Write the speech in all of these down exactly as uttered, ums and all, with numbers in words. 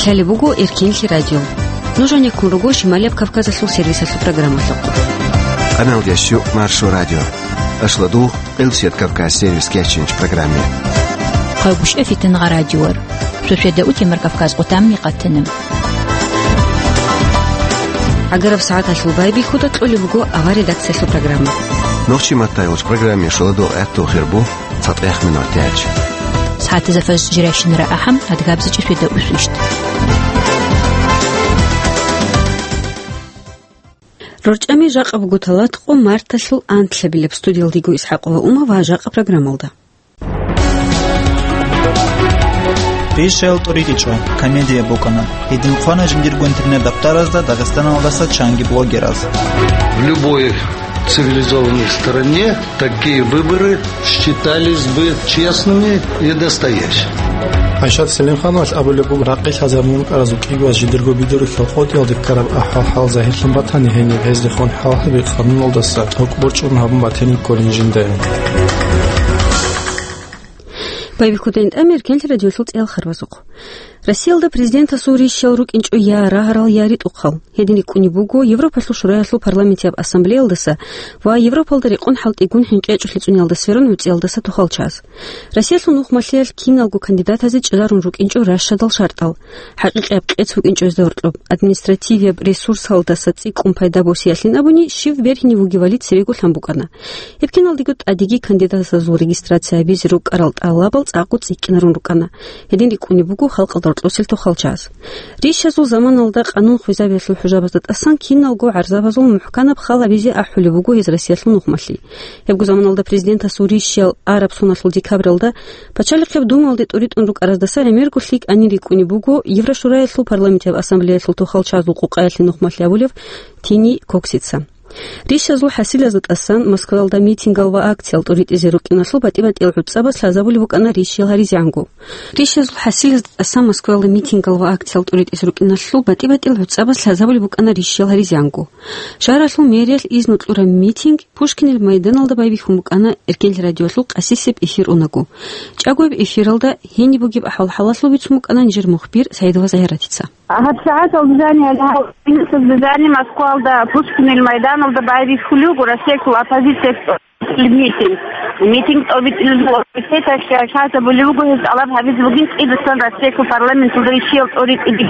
Лъалеб буго Эркенлъи радио. Нуж гьанеккун руго Шималияб Кавказалъул сервисалъул программалъухъ. Къаналдящу Маршо радио. Ашладу, Къилсият Кавказ сервис кечинч программе. Хъагушев Фитнагъа радиор. Суседа утемар Кавказ къутамни къатана. ГӀагараб сагӀаталъул байбихьуда кьолеб буго авар редакциялъул программа. Нохчи маттайулч программе шоладо гӀатту хирбу. ЦатӀех минут тяч. СагӀатазда фаз жирайщинара ахӀам, адгабзичӀи светда усвищт. РорчӀами жакъа буго талатӀкъо марталъул анлъабилеб. Студиялдиго Исхакъова Ума ва жакъа программалда. Пишел тӀуритӀичӀо, комедия букӀана. Гьедин хъвана жиндирго интернет-дапдаразда Дагъистаналдаса чанги блогераз. В любой цивилизованной стране такие выборы считались бы честными и настоящими. Айшат Селимхановалъ абулеб буго, ракъи лъазабун рукӀаразул кӀигояз жидерго бидурухъ къотӀиялде ккараб ахӀвал-хӀал загьирлъун батани, гьениб гьезде хун хӀалхьаби къануналдаса тӀокӀ борчӀун гьабун батинин кколин жинда. Байбихьудайин тӀамир кенлъи радиолъул цӀеял харбазухъ. Россиялда президентасул рищал рукӀинчӀо я рагьарал, я ритӀухъал. Гьедин рикӀкӀунеб буго Европалъул Шураялъул парламентияб ассамблеялдаса ва Европалда рекъон хӀалтӀигун хӀинкъи гьечӀолъи цӀуниялда сверун гӀуцӀиялдаса тухал чаз. Россиялъул нухмалъиялъ киналго кандидатазе чӀезарун рукӀинчӀо ращадал шартӀал. ХӀакъикъияб къец букӀинчӀо гьезда гьоркьоб. Административияб ресурсалдаса цӀикӀкӀун пайда босиялъин абуни, щив бергьинев вугевали церего лъан букӀана. Гьеб киналдего тӀадеги кандидатазул регистрация гьабизе рукӀарал тӀалабал цӀакъго цӀикӀкӀинарун рукӀана. Гьедин рикӀкӀунеб буго халкъалда рокьосел тухал чаз. Рищазул заманалда къанун хвезабиялъул хӀужабазда тӀасан киналго гӀарзабазул мухӀканаб хал гьабизе ахӀулеб буго гьез Россиялъул нухмалъи. Гьебго заманалда президентасул рищал араб соналъул декабралда Пачалихъеб Думалде тӀуритӀун рукӀараздаса гӀемерго лъикӀанин рикӀкӀунеб буго Еврошураялъул парламентияб ассамблеялъул тухал чазул къукъаялъе нухмалъи абулев Тини Коксица. Рищазул хӀасилазда тӀасан Москваялда митингал ва акциял тӀуритӀизе рукӀиналъул батӀи-батӀиял гӀуцӀабаз лъазабулеб букӀана рищал гьаризегӀанго. Рищазул хӀасилазда тӀасан Москваялда митингал ва акциял тӀуритӀизе рукӀиналъул батӀи-батӀиял гӀуцӀабаз лъазабулеб букӀана рищал гьаризегӀанго. Шагьаралъул мэриялъ изну кьураб митинг Пушкинил майданалда байбихьун букӀана Эркенлъи радиолъул къасисеб эфир унаго. ЧӀагояб эфиралда гьениб бугеб ахӀвал-хӀалалъул бицун букӀана нижер мухбир Саидова Загьиратица. ГьабсагӀаталда жаниб, гьабсагӀаталда жаниб Москвалда Пушкинил майданалда байбихьулел руго Россиялъул оппозициялъул митинг. Митинг тӀобитӀулел руго, лъазабулеб буго гьез тӀалаб гьабизе бугин цӀидасан Россиялъул парламенталда рищал тӀоритӀизе.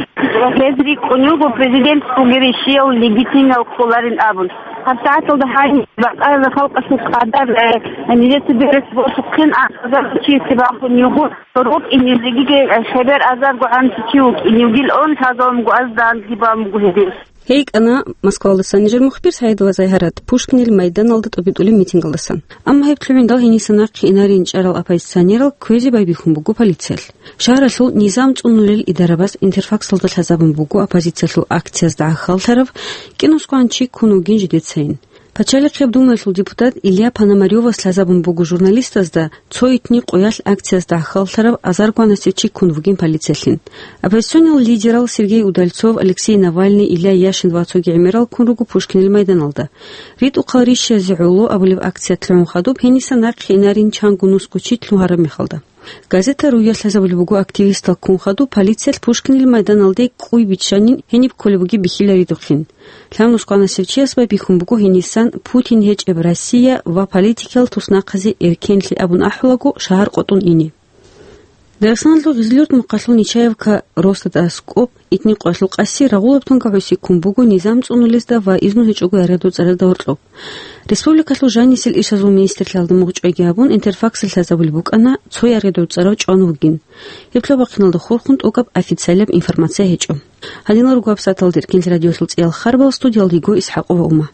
Гьез рикӀкӀунел руго президент вугев рищал легитимиял кколарин абун. ГьабсагӀаталда гьаниб бакъараб халкъалъул къадар, э, нижеца берес босухъин, азарго чиясе бахун йигун, рукӀинилгиги, э, хабар азарго гӀанцӀи чи вукӀинилгилан лъазавун буго, аз данги бан буго гьедин. ГьейкӀана Москвалдасан нижер мухбир Саидова Загьарат Пушкинил майданалда тӀобитӀулеб митингалдасан. Амма гьеб лъугӀиндал гьениса нахъе инарин чӀарал оппозиционерал кквезе байбихьун буго полициялъ. Шагьаралъул низам цӀунулел идарабаз Интерфаксалда лъазабун буго оппозициялъул акциязда гӀахьаллъарав кӀинусгоан чи ккун вугин жидецайин. Пачалихъеб Думаялъул депутат Илья Пономарёвас лъазабун буго журналистазда цо итни къоялъ акциязда гӀахьаллъарав азаргоанасев чи ккун вугин полициялъин. Оппозиционал лидерал Сергей Удальцов, Алексей Навальный, Илья Яшин ва цоги гӀемерал ккун руго Пушкинил майданалда. «РитӀухъал рищазе гӀоло» абулеб акциялъ лъугӀун хадуб гьениса нахъе инарин чанго нусго чи лъугьараб мехалда. Газета «Руялъ» лъазабулеб буго активистал ккун хадуб полициялъ Пушкинил майданалде кӀуй биччанин гьениб кколеб бугеб бихьиларидухъин. Лъабнусгоанасев чияс байбихьун буго гьенисан Путин гьечӀеб Россия ва политикиял туснахъазе эркенлъи абун ахӀулаго шагьар къотӀун ине. Дагъистаналъул Гъизлиюрт мухъалъул Нечаевка росдада аскӀоб итни къоялъул къаси рагъулаб тунга гӀуси ккун буго низам цӀунулезда ва изну гьечӀого яргъадуцӀарада гьоркьоб. Республикалъул жанисел ишазул министрлъиялда мугъчӀвайги гьабун, Интерфаксалъ лъазабулеб букӀана цо яргъадуцӀарав чӀван вугин. Гьеб лъабахъиналда хурхун тӀокӀаб официалияб информация гьечӀо. Гьадинал руго гьабсагӀаталда Эркенлъи радиолъул цӀеял харбал, студиялда йиго ИсхӀакъова Ума.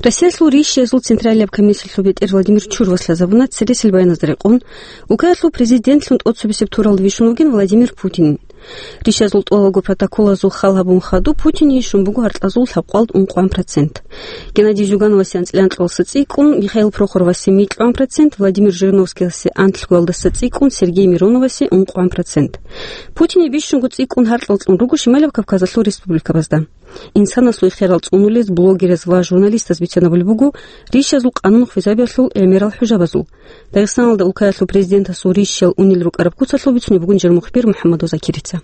Россиялъул рищазул централияб комиссиялъул бетӀер Владимир Чурвас лъазабуна цересел баяназда рекъон, Украиналъул президентлъун тӀоцебесеб туралда вищун вугин Владимир Путин. Рищазул тӀолалго протоколазул хал гьабун хадуб Путине щун буго гьаркьазул лъабкъоялда ункъоян процент. Геннадий Зюгановасе анцӀила анкьалдаса цӀикӀкӀун, Михаил Прохоровасе микьгӀан процент, Владимир Жириновскиясе анлъгоялдаса цӀикӀкӀун, Сергей Мироновасе ункъгӀан процент. Путине бищунго цӀикӀкӀун гьаркьал кьун руго Шималаб Кавказалъул республикабазда. Инсанасул ихтиярал цӀунулез блогераз ва журналистаз бицанабулеб буго ришиязул къанун хвезабиялъул гӀемерал хӀужабазул. Дагъистаналда улкаялъул президентасул ришиял унел рукӀараб куцалъул бицунеб бугин жер мухбир МухӀаммад Закирица.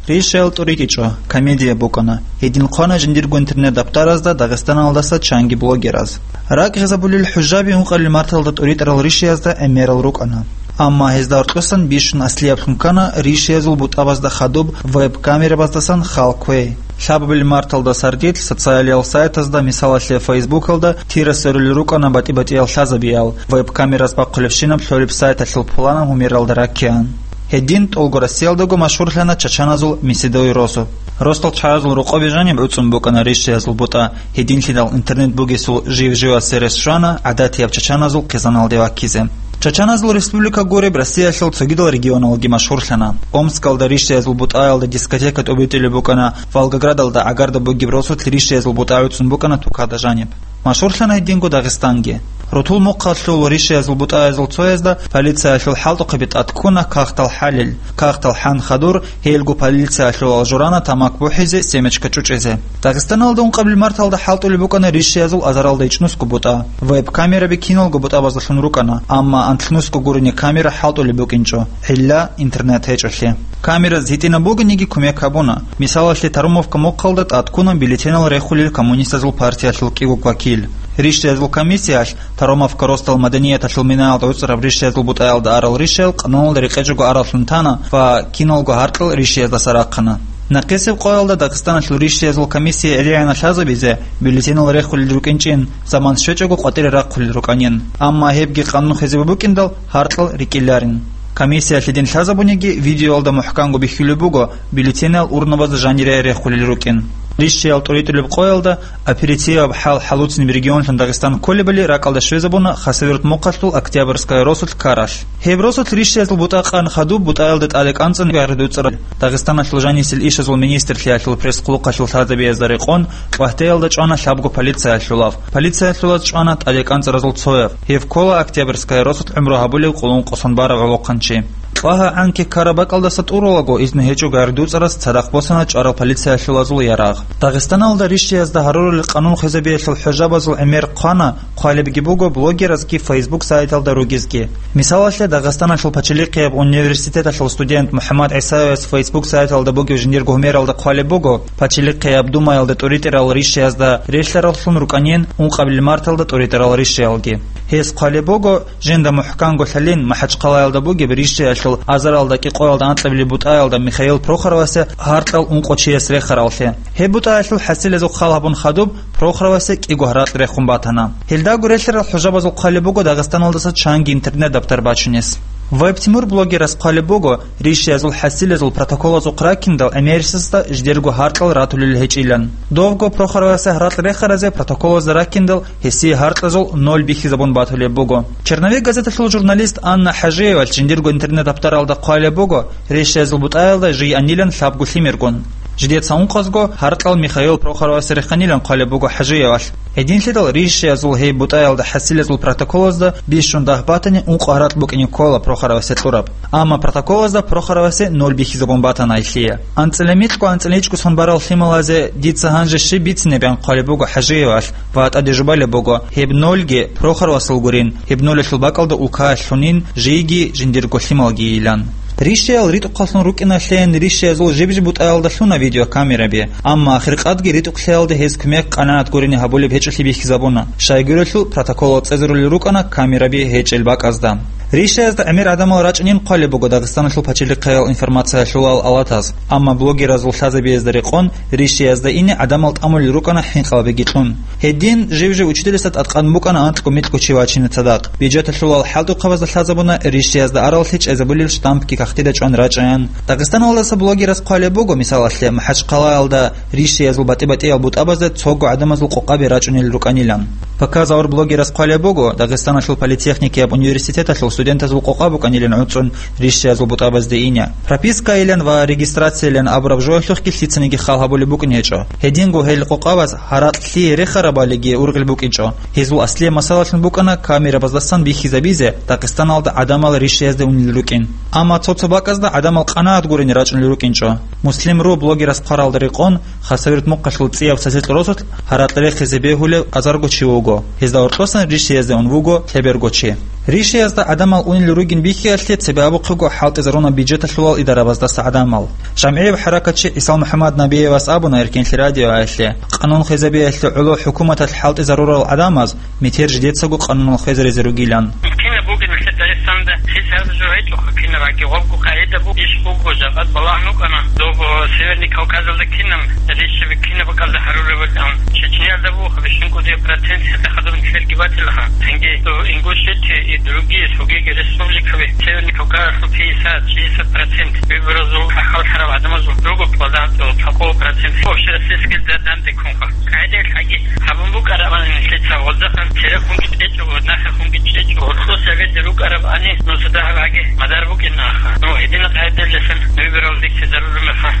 Ришиял тӀуритӀичӀо, комедия букӀана. Гьедин хъвана жиндирго интернет-даптаразда Дагъистаналдаса чанги блогераз. РакӀ гъезабулел хӀужаби ункъабилеб марталда тӀуритӀарал ришиязда гӀемерал рукӀана. Амма гьезда гьоркьосан бищун аслияблъун ккана ришиязул бутӀабазда хадуб веб-камерабаздасан хал кквей. Лъабабилеб марталда сардилъ социалиял сайтазда, мисалалъе, Фейсбукалда, тира сверулел рукӀана батӀи-батӀиял лъазабиял, веб-камераз бахъулебщинаб лъолеб сайталъул пуланаб гьумералда раккеян. Гьедин тӀолго Россиялдаго машгьурлъана чачаназул Меседой росу. Росдал ччаразул рокъобе жаниб гӀуцӀун букӀана ришиязул бутӀа, гьединлъидал интернет бугесул жив-живасе рес щвана гӀадатияб чачаназул хъизаналде ваккизе. Чачаназул республика гуреб Россиялъул цогидал регионалги машгьурлъана. Омскалда ришиязул бутӀаялда дискотека тӀубитӀулеб букӀана, Волгоградалда гӀагарда бугеб росулъ ришиязул бутӀа гӀуцӀун букӀана тукада жаниб. Машгьурлъана гьединго Дагъистанги. Рутул мухъалъул ришиязул бутӀаязул цоязда полициялъул хӀалтӀухъаби тӀад ккуна кагътал хӀалел. Кагътал хӀан хадур, гьелго полициялъулал журана тамак бухӀизе, семечка чӀучӀизе. Дагъистаналда ункъабилеб марталда хӀалтӀулеб букӀана ришиязул азаралда ичӀнусго бутӀа. Веб-камераби киналго бутӀабаздалъун рукӀана, амма анлънусго гурони камера хӀалтӀулеб букӀинчӀо, гӀилла интернет гьечӀолъи. Камераз гьитӀинаб бугониги кумек гьабуна. Мисалалъе, Тарумовка мухъалда тӀад ккуна бюллетенал рехулел Коммунистазул партиялъул кӀиго вакил. Ришиязул комиссиялъ Тарумовка росдал маданияталъул минаялда гӀуцӀараб ришиязул бутӀаялда арал ришиял къануналда рекъечӀого араллъун тана ва киналго гьаркьал ришияздаса рахъана. Нахъисеб къоялда Дагъистаналъул ришиязул комиссия гӀелегӀана лъазабизе бюллетенал рехулел рукӀинчӀин, заман щвечӀого къватӀире рахъулел рукӀанин. Амма гьебги къанун хвезабун букӀиндал, гьаркьал рикӀкӀинарин. Комиссиялъе дин лъазабуниги, видеоялда мухӀканго бихьулеб буго бюллетенал урнабазда жанире рехулел рукӀин. Ришиял тӀуритӀулеб къоялда оперативаб хӀал хӀалуцин регионлъун Дагъистан кколебали ракӀалда щвезабуна Хасавюрт мухъалъул Октябрьская росулъ ккаралъ. Гьеб росулъ ришиязул бутӀа къан хадуб бутӀаялда тӀаде кӀанцӀун гӀаридуцӀарал. Дагъистаналъул жанисел ишазул министрлъиялъул пресс-хъулухъалъул лъазабиязда рекъон, Кьвагьтеялда чӀвана лъабго полициялъулав. Полициялъулаз чӀвана тӀаде кӀанцӀаразул цояв. Гьев ккола Октябрьская росулъ гӀумру гьабулев къулун къосун барав гӀолохъанчи. КьвагьтӀи гӀанкек ккараб бакӀалдаса тӀуралго, изну гьечӀого гӀаридуцӀарас цадахъ босана чӀварал полициялъулазул ярагъ. Дагъистаналда ришиязда гьарурал къанун хвезабиялъул хӀужабазул гӀемер хъвана, хъвалебги буго блогеразги Facebook сайталда ругезги. Мисалалъе, Дагъистаналъул пачалихъияб университеталъул студент МухӀаммад ГӀисаевас Facebook сайталда бугеб жиндирго гьумералда хъвалеб буго, пачалихъияб Думаялда тӀуритӀарал ришиязда релълъараллъун рукӀанин ункъабилеб марталда тӀуритӀарал ришиялги. Гьес хъвалеб буго, жинда мухӀканго лъалин, МахӀачхъалаялда бугеб ришиялъул азаралда кӀикъоялда анкьабилеб бутӀаялда Михаил Прохоровасе гьаркьал ункъо чияс рехараллъи. Гьеб бутӀаялъул хӀасилазул хал гьабун хадуб, Прохоровасе кӀиго гьаракь рехун батана. Гьелдаго релълъарал хӀужабазул хъвалеб буго Дагъистаналдаса чанги интернет-даптар бачунес. Веб-Тимур блогерас хъвалеб буго, ришиязул хӀасилазул протоколазухъ раккиндал гӀемерисезда жидерго гьаркьал ратулел гьечӀилан. Довго Прохоровасе гьаракь рехаразе протоколазда раккиндал гьесие гьаркьазул ноль бихьизабун батулеб буго. Черновик газеталъул журналист Анна ХӀажиевалъ жиндирго интернет-даптаралда хъвалеб буго, ришиязул бутӀаялда жий анилан лъабго лъимергун. Жидеца ункъазго гьаркьал Михаил Прохоровасе реханилан хъвалеб буго ХӀажиевалъ. Гьединлъидал ришиязул гьеб бутӀаялда хӀасилазул протоколазда бищун дагь батани, ункъо гьаракь букӀине ккола Прохоровасе кьураб. Амма протоколазда Прохоровасе ноль бихьизабун батана гьелъие. АнцӀила микьго анцӀила ичӀго сон барал лъималазе дица гьанже щиб бицинеб, ян хъвалеб буго ХӀажиевалъ ва тӀаде жубалеб буго, гьеб нольги Прохоровасул гурин, гьеб нолалъул бакӀалда улкаялъунин жийги жиндирго лъималгийилан. Ришиял ритӀухъаллъун рукӀиналъейин ришиязул жиб-жиб бутӀаялда лъуна видеокамераби, амма ахиркъадги ритӀухълъиялда гьез кумек къанагӀат гурони гьабулеб гьечӀолъи бихьизабуна, щайгурелъул протоколал цӀезарулел рукӀана камераби гьечӀел бакӀазда. Ришиязда гӀемер гӀадамал рачӀунин хъвалеб буго Дагъистаналъул пачалихъаял информациялъулал алатаз, амма блогеразул лъазабиязда рекъон ришиязда ине гӀадамал тӀамулел рукӀана хӀинкъалабиги кьун. Гьедин жив-жив учителасда тӀадкъан букӀана анкьго-микьго чи вачине цадахъ. Бюджеталъулал хӀалтӀухъабазда лъазабуна ришиязда араллъи чӀезабулел штампги кагътида чӀван рачӀаян. Дагъистаналдаса блогерас хъвалеб буго, мисалалъе, МахӀачхъалаялда ришиязул батӀи-батӀиял бутӀабазда цого гӀадамазул къокъаби рачӀунел рукӀанилан. Показалда блогерас хъвалеб буго, Дагъистаналъул политехникияб университеталъул студентазул къокъа букӀанилан гӀуцӀун ришшиязул бутӀабазде ине. Пропискайилан ва регистрациялан абураб жоялъухъги лъицаниги хал гьабулеб букӀин гьечӀо. Гьединго гьел къокъабаз гьаракь лъие рехарабалиги ургъел букӀинчӀо. Гьезул аслияб масалалъун букӀана камерабаздасан бихьизабизе Дагъистаналда гӀадамал ришшиязде унел рукӀин. Амма цо-цо бакӀазда гӀадамал къанагӀат гурони рачӀунел рукӀинчӀо. Муслим.ру блогерас хъваралда рекъон, Хасавюрт мухъалъул цӀияб цадахъ росулъ гьаракь рехизаб бегьулев азарго чи вуго. Гьезда гьоркьосан ришшиязде ун вуго лъеберго чи. Ришшиязда гӀадамал унел ругин бихьиялъе цебе абухъего хӀалтӀизаруна бюджеталъулал идарабаздаса гӀадамал. ЖамгӀияб хӀаракатчи ГӀисал МухӀаммад Набиевас абуна Эркенлъи радиоялъе, къанун хвезабиялъе гӀоло хӀукуматалъ хӀалтӀизарурал гӀадамаз метер жидецаго къанунал хвезаризе ругилан. Кинаб бугеб нилъер Дагъистанда? Хисаб жо гьечӀоха, кинаб гьаги гъобго къагӀида буго, иш буго, жакъад балагьун вукӀана, доб Северный Кавказалда кинаб ришшаби кинаб бакӀалда гьарулеб бакӀан. Чечниялда буго бищун кӀудияб процент гьеб хадуб нилъерги батилаха. Цинги доб Ингушетия и другие цогиги республикаби Северный Кавказалъул пятьдесят-шестьдесят процент выборазул хӀалхьарал гӀадамазул руго квадратов цо кӀо процент общероссийский данде ккунха. КъагӀидаялъ гьаги гьабун букӀарабани нилъеца гъоздаха терехунги чӀечӀого, нахахунги чӀечӀого, гьоркьоса гьабизе рукӀарабани, нуса дагьаб гьаги мадар букӀин аха. Ну, гьедина къагӀидалдасан выборал рихьизарураб мехалъ,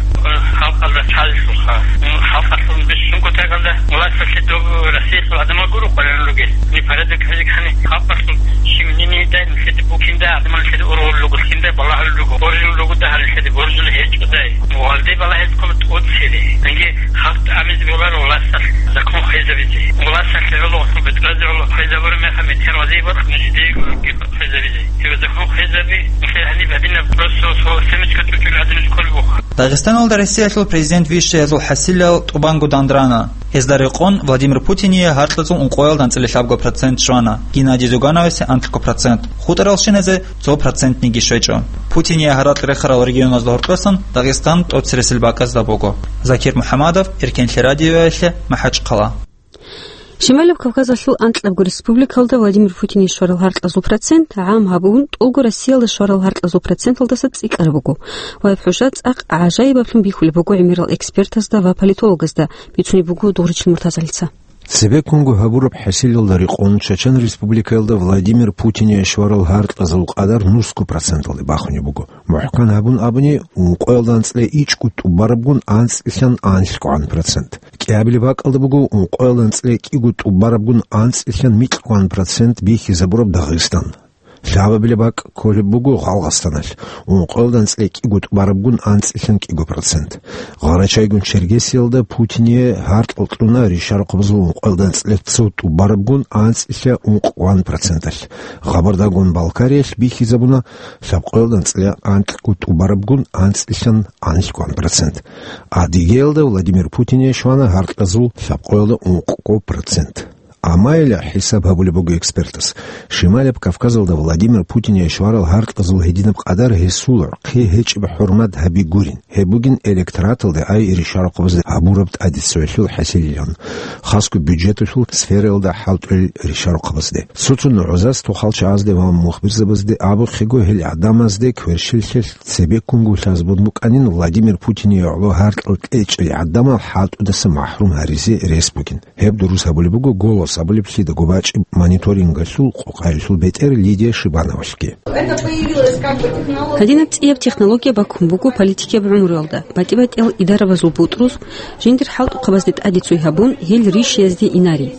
халкъалда цалъулха. Ну, халкъалъул бищун кутакалда власталъе доб Россиялъул гӀадамал гуро къваригӀун ругел. Ни порядок гьезекани халкъалъул щив нини дай нилъеде букинда, гӀадамал нилъеде ургъулел руго, лъинда балагьулел руго, боржулел руго дагьал нилъеде, боржулел гьечӀо дай. Гьалде балагьизе ккола тӀоцере. Цинги халкъ тӀамизе боларо власталъ закон хвезабизе. Власталъе гӀоло, бетӀразе гӀоло хвезабураб мехалъ метер вазияб бакӀ нижеде гьебги хвезабизе. Гьеб закон хвезаби, нилъер гьаниб гьадинаб просто цо семечка чӀучӀулел гӀадинаб кколеб буха. Дагъистаналда Россиялъул президент вищаязул хӀасилал тӀубанго дандрана. Гьезда рекъон Владимир Путине гьаркьазул ункъоялда анцӀила лъабго процент щвана, Геннадий Зюгановасе анлъго процент, хутӀарал щиназе цо процентниги щвечӀо. Путине гьаракь рехарал регионазда гьоркьосан Дагъистан тӀоцересел бакӀазда буго. Закир МухӀаммадов, Эркенлъи радиоялъе, МахӀачхъала. Шималаб Кавказалъул анкьабго республикалда Владимир Путине щварал гьаркьазул процент гӀам гьабун, тӀолго Россиялда щварал гьаркьазул проценталдаса цӀикӀкӀараб буго. Ва гьеб хӀужа цӀакъ гӀажаибаблъун бихьулеб буго гӀемерал экспертазда ва политологазда, бицунеб буго Дугъричил Муртазалица. Цебеккунго гьабураб хӀасилалда рекъон Чечен Республикаялда Владимир Путине щварал гьаркьазул къадар нусго проценталде бахунеб буго. МухӀкан гьабун абуни, ункъоялда анцӀила ичӀго тӀубарабгун анцӀилъан анлъгогӀан процент. КӀиабилеб бакӀалда буго ункъоялда анцӀила кӀиго тӀубарабгун анцӀилъан микьгогӀан процент бихьизабураб Дагъистан. Лъабабилеб бакӀ кколеб буго Гъалгъастаналъ, ункъоялда анцӀила кӀиго тӀубарабгун анцӀилъан кӀиго процент. Гъарачайгун Чергесиялда Путине гьаркьал кьуна ришарахъабазул ункъоялда анцӀила цо тӀубарабгун анцӀилъа ункъгогӀан проценталъ. Гъабардагун Балкариялъ бихьизабуна лъабкъоялда анцӀила анкьго тӀубарабгун анцӀилъан анлъгогӀан процент. Адыгеялда Владимир Путине щвана гьаркьазул лъабкъоялда ункъго процент. Амайила хӀисаб гьабулеб буго экспертас, Шималаб Кавказалда Владимир Путине щварал гьаркьазул гьединаб къадар гьесул гӀурхъи гьечӀеб хӀурмат гьаби гурин. Гьеб бугин электораталда ай ришарахъабазда гьабураб тӀадиццоялъул хӀасилилан, хасго бюджеталъул сфераялда хӀалтӀулел ришарахъабазде. Цо-цо нугӀзаз тохалчагӀазде ва мухбирзабазде абухъего, гьел гӀадамазде кверщеллъи цебеккунго лъазабун букӀанин Владимир Путине гӀоло гьаркьал кьечӀел гӀадамал хӀалтӀудаса махӀрум гьаризе рес бугин. Гьеб дурус гьабулеб буго «Голос» абулеб лъидаго бачӀеб мониторингалъул къокъаялъул бетӀер Лидия Шибановалъги. Гьадинаб цӀияб технология баккун буго политикияб гӀумруялда, батӀи-батӀиял идарабазул бутӀрул, жиндир хӀалтӀухъабазде тӀаде цой гьабун, гьел ришиязде инари.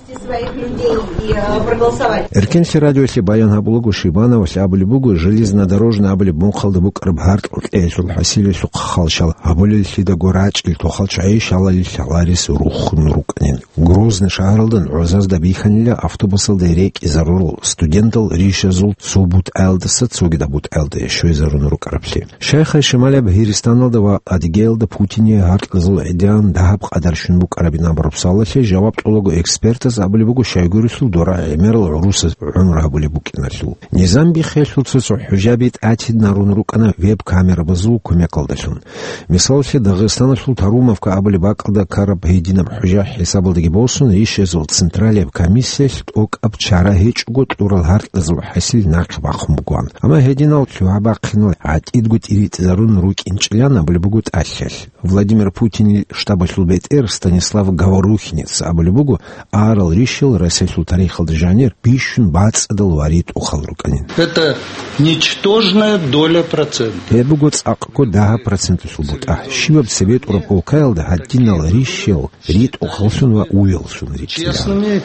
Эркенлъи радиоялъе баян гьабулаго Шибановалъ абулеб буго, железнодорожный абулеб мухъалда букӀараб гьаркьал кьеялъул хӀасилалъухъ халщал гьабулел лъидаго рачӀил тохалчагӀи щалалил лъаларес рухун рукӀанин. Грозный шагьаралда нугӀзазда бихьанила автобусалда рекӀизарурал студентал ришазул цо бутӀаялдаса цогидаб бутӀаялде щвезарун рукӀараблъи. Шайхай Шималаб Гьиристаналда ва Адыгеялда Путине гьаркьазул гӀедегӀан дагьаб къадар щун букӀарабин абураб суалалъе жаваб кьолаго экспертаз абулеб буго, щайгурелъул дора гӀемерал гӀурусаз гӀумру гьабулеб букӀиналъул. Низам биххиялъул цо-цо хӀужаби тӀатинарун рукӀана веб-камерабазул кумекалдалъун. Мисалалъе, Дагъистаналъул Тарумовка абулеб бакӀалда ккараб гьединаб хӀужа хӀисабалдаги босун, ришазул централияб комиссиялъ тӀокӀаб чара гьечӀого кьурал гьаркьазул хӀасил нахъе бахъун бугоан. Амма гьединал лъугьа-бахъинал гӀатӀидго тӀиритӀизарун рукӀинчӀилан абулеб буго тӀалъалъ. Владимир Путинил штабалъул бетӀер Станислав Говорухинец абулеб буго, арал рищал Россиялъул тарихалда жанир бищун бацӀцӀадал ва ритӀухъал рукӀанин. Это ничтожная доля процента. Гьеб буго цӀакъго дагьаб проценталъул бутӀа. Щибаб цебетӀураб улкаялда гьадинал рищал ритӀухъаллъун ва уяллъун рикӀкӀинаран. Честными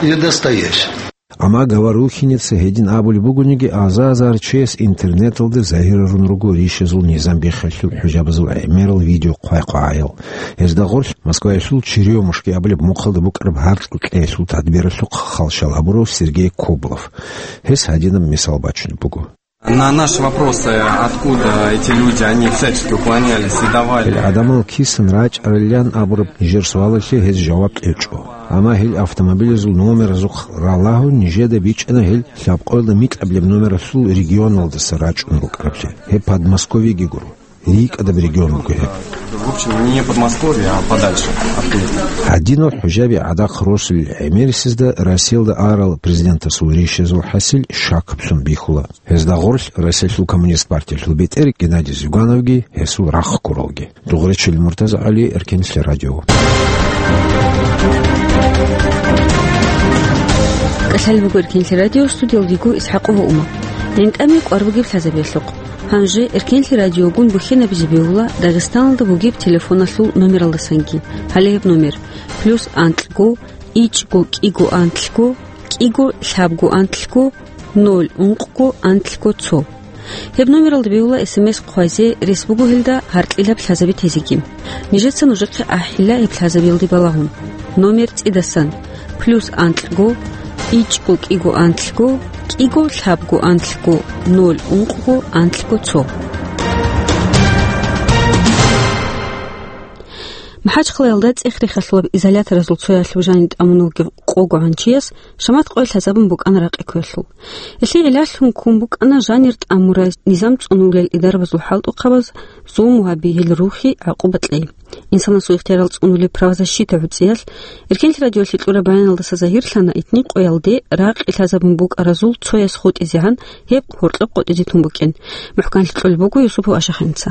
и настоящими. Амма Говорухинеца гьедин абулеб бугониги, аза-азар чияс интернеталда загьирарун руго рищазул низам биххалъул хӀужабазул гӀемерал видео хъвай-хъвагӀаял. Гьезда гъорлъ Москваялъул «Черёмушки» абулеб мухъалда букӀараб гьаркьа кьеялъул тадбиралъухъ халщал гьабурав Сергей Коблов. Гьес гьадинаб мисал бачунеб буго. На наши вопросы, откуда эти люди, они всячески уклонялись и давали. Гьел гӀадамал кисан рачӀарилан абураб нижер суалалъе гьез жаваб кьечӀо. Амма гьел автомобилазул номеразухъ ралагьун нижеда бичӀчӀана гьел лъабкъоялда микьабилеб номералъул регионалдаса рачӀун рукӀараблъи. Гьеб Подмосковьеги гуро. РикӀкӀадаб регион буго гьеб. В общем, не Подмосковье, а подальше оттуда. Гьадинал хӀужаби гӀадахъ росулел гӀемерисезда Россиялда арал президентасул рищазул хӀасил шакаблъун бихьула. Гьезда гъорлъ Россиялъул коммунист партиялъул бетӀер Геннадий Зюгановги гьесул рахъ ккуралги. Дугъречил Муртаза ГӀали, Эркенлъи радио. КӀалъалеб буго Эркенлъи радио, студиялда йиго ИсхӀакъова Ума. ГӀинтӀаме кӀвар бугеб лъазабиялъухъ. Гьанже Эркенлъи радиогун бухьинабизе бегьула Дагъистаналда бугеб телефоналъул номералдасанги. Гьале гьеб номер: плюс анкьго, ичӀго кӀиго анлъго, кӀиго лъабго анлъго, ноль ункъго анлъго цо. Гьеб номералда бегьула эс эм эс хъвазе, рес буго гьелда гьаркьилаб лъазаби тезеги. Нижеца нужехъе ахӀила гьеб лъазабиялде балагьун. Номер цӀидасан: плюс анкьго, ичӀго кӀиго анлъго, кӀиго лъабго анлъго, ноль ункъго анлъго цо. МахӀачхъалаялда цӀех-рехалъулаб изоляторазул цоясалъув жаниб тӀамун вугев къогогӀан чияс шамат къоялъ лъазабун букӀана ракъи кквелъул. Гьелъие гӀиллалъун ккун букӀана жанир тӀамурай, низам цӀунулел идарабазул хӀалтӀухъабаз зулму гьаби, гьел рухӀи гӀакъуба кьей. Инсанасул ихтиярал цӀунулеб правозащита гӀуцӀиялъ Эркенлъи радиоялъе кьураб баяналдаса загьирлъана, итни къоялде ракъи лъазабун букӀаразул цояс хутӀизегӀан гьеб гьоркьоб къотӀизе тун букӀин. МухӀканлъи кьолеб буго Юсупов Ашахиница.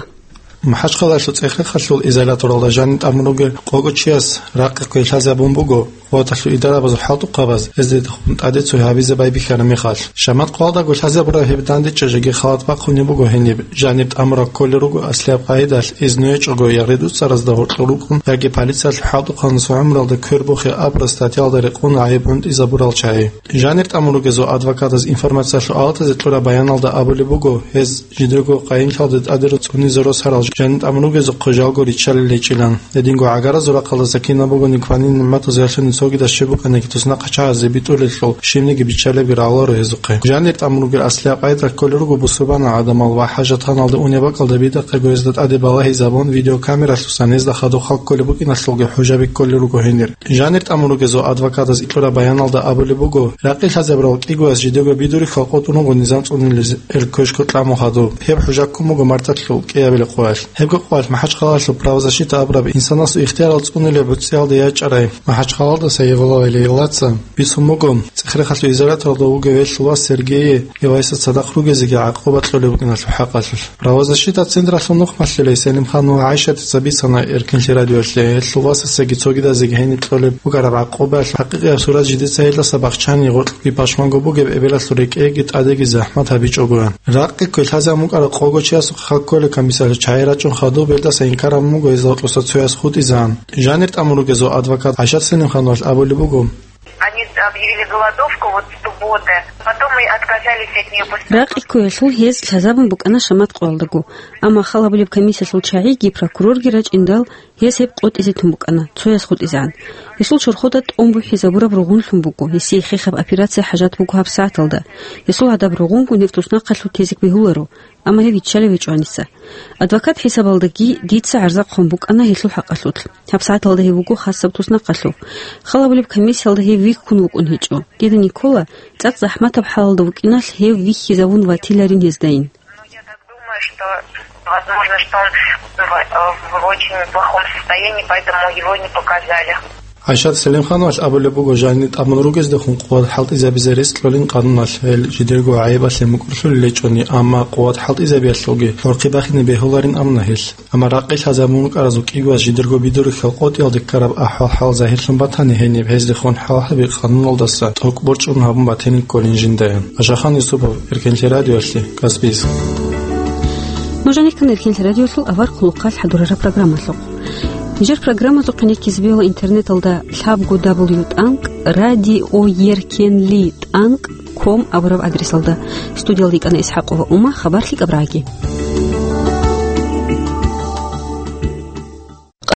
МахӀачхъалаялъул цӀех-рехалъул изоляторалда жаниб тӀамун ругев къого чияс ракъи кквей лъазабун буго, къуваталъул идарабазул хӀалтӀухъабаз гьезда хун тӀаде цо гьабизе байбихьараб мехалъ. Шамат къоялдаго лъазабураб гьеб дандечӀеб жеги халат бахъунеб буго гьениб, жаниб тӀамураб кколел руго аслияб къагӀидалъ, изну гьечӀого я гъидуцаразда гьоркьор рукӀун, яги полициялъул хӀалтӀухъанасул гӀумруялда квер бухе абураб статьялда рекъон гӀайиб гӀунтӀизабурал чагӀи. Жанир тӀамун ругезул адвокатаз информациялъул алатазе кьураб баяналда абулеб буго, гьез жидерго къайинлъалда тӀадерун цӀунизе росарал жанир тӀамун ругезухъе жалго риччалел гьечӀилан. Гьединго гӀагаразул рахъалдаса кинаб бугониги кванин нигӀматазул ялъуни цогидаз щиб букӀаниги туснахъа чагӀазе битӀулелъул, щибниги биччалебги рагӀуларо гьезухъе. Жанир тӀамун ругел аслияб къайда кколел руго бусурбанал гӀадамал ва хӀажатханалде унеб бакӀалда бидахъего гьезда тӀаде балагьизабун, видеокамералъусан гьезда хадуб хал кколеб букӀиналъулги хӀужаби кколел руго гьенир. Жанир тӀамун ругезул адвокатаз кьураб баяналда абулеб буго, ракъи лъазабурал кӀигояс жидего бидурихьал къотӀун руго низам цӀунулел квешго тӀамун хадуб. Гьеб хӀужа ккун буго марталъул кӀиабилеб къоялъ. Гьебго къоялъ МахӀачхъалаялъул правозащита абураб инсанасул ихтиярал цӀунулеб гӀуцӀиялда ячӀарай МахӀачхъалаялдаса Евлоева Лейлаца бицун буго, цӀех-рехалъул изоляторалда вугев гьелъул вас Сергейие гьев гьесда цадахъ ругезеги гӀакъуба кьолеб букӀиналъул хӀакъалъулъ. Правозащита централъул нухмалъулей Селимханова ГӀайшатица бицана Эркенлъи радиоялъе, гьелъул васасаги цогидазеги гьениб кьолеб бугеб гӀакъубаялъ хӀакъикъияб сурат жидеца гьелдаса бахчани, гъоркьги пашманго бугеб эбелалъул рекӀеги тӀадеги захӀмат гьабичӀогоян. Ракъи кквей лъазабун букӀарав къого чиясухъе хал кколел комиссиялъул чагӀи рачӀун хадуб гьелдаса инкар гьабун буго гьезда гьоркьоса цояс хутӀизегӀан. Жанир тӀамун ругезул адвокат ГӀайшат Селимхановалъ абулеб буго. Они объявили голодовку вот с субботы, потом мы отказались от неё после... Ракъи кквеялъул гьез лъазабун букӀана шамат къоялдаго, амма хал гьабулеб комиссиялъул чагӀиги прокурорги рачӀиндал, гьез гьеб къотӀизе тун букӀана, цояс хутӀизегӀан. Гьесул чорхода тӀун бухӀизабураб ругъунлъун буго, гьесие хехаб операция хӀажат буго гьабсагӀаталда. Гьесул гьадаб ругъунгун гьев туснахъалъув тезе бегьуларо. Амма гьев виччалев гьечӀо гьаниса. Адвокат хӀисабалдаги дица гӀарза хъван букӀана гьелъул хӀакъалъулъ. ГьабсагӀаталда гьев вуго хасаб туснахъалъув. Хал гьабулеб комиссиялда гьев вихьун вукӀун гьечӀо. Дида Никола цӀакъ захӀматаб хӀалалда вукӀиналъ гьев вихьизавун ватиларин гьездайин. Ну, я так думаю, что, возможно, что он в, в очень плохом состоянии, поэтому его не показали. ГӀайшат Селимхановалъ абулеб буго, жанир тӀамун ругездехун къуват хӀалтӀизабизе рес кьолин къануналъ, гьел жидерго гӀайибалъе мукӀурлъулел гьечӀони, амма къуват хӀалтӀизабиялъулги гӀурхъи бахине бегьуларин абуна гьелъ. Амма ракъи лъазабун рукӀаразул кӀиго вас жидерго бидурихьал къотӀиялде ккараб ахӀвал-хӀал загьирлъун батани, гьениб гьездехун хӀалхьаби къануналдаса тӀокӀ борчӀун гьабун батинин кколин жинда. Ашахан Юсупов, Эркенлъи радиоялъе, Каспийск. Нуж гьанир ккана Эркенлъи радиоялъул авар хъулухъалъ хӀадурараб программалъухъ. Нижер программазухъе реккизе бегьула интернеталда лъабго дабл ю тӀанкӀ радиоеркенли тӀанкӀ ком абураб адресалда. Студиялда йикӀана ИсхӀакъова Ума, хабар лъикӀаб рагӀаги.